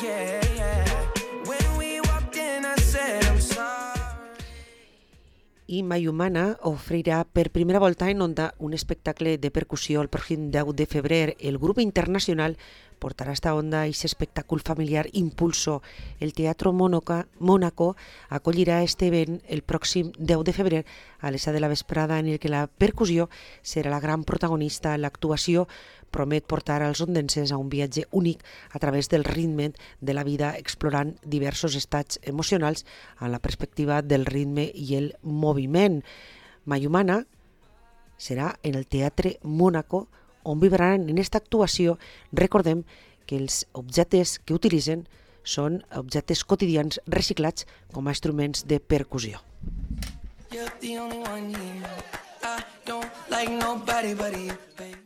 yeah, yeah. When we walked in, I said I'm sorry. I Mayumana ofrirà per primera volta en Onda un espectacle de percussió el pròxim 10 de febrer. El grup internacional portarà a esta Onda i aquest espectacle familiar Impulso. El Teatro Mónaco acollirà este event el pròxim 10 de febrer a les 7 de la vesprada, en el que la percussió serà la gran protagonista. L'actuació promet portar als ondenses a un viatge únic a través del ritme de la vida, explorant diversos estats emocionals amb la perspectiva del ritme i el moviment. Mayumana serà en el Teatre Mónaco, on vibraran en aquesta actuació. Recordem que els objectes que utilitzen són objectes quotidians reciclats com a instruments de percussió. You're the only one here. I don't like nobody but you, babe.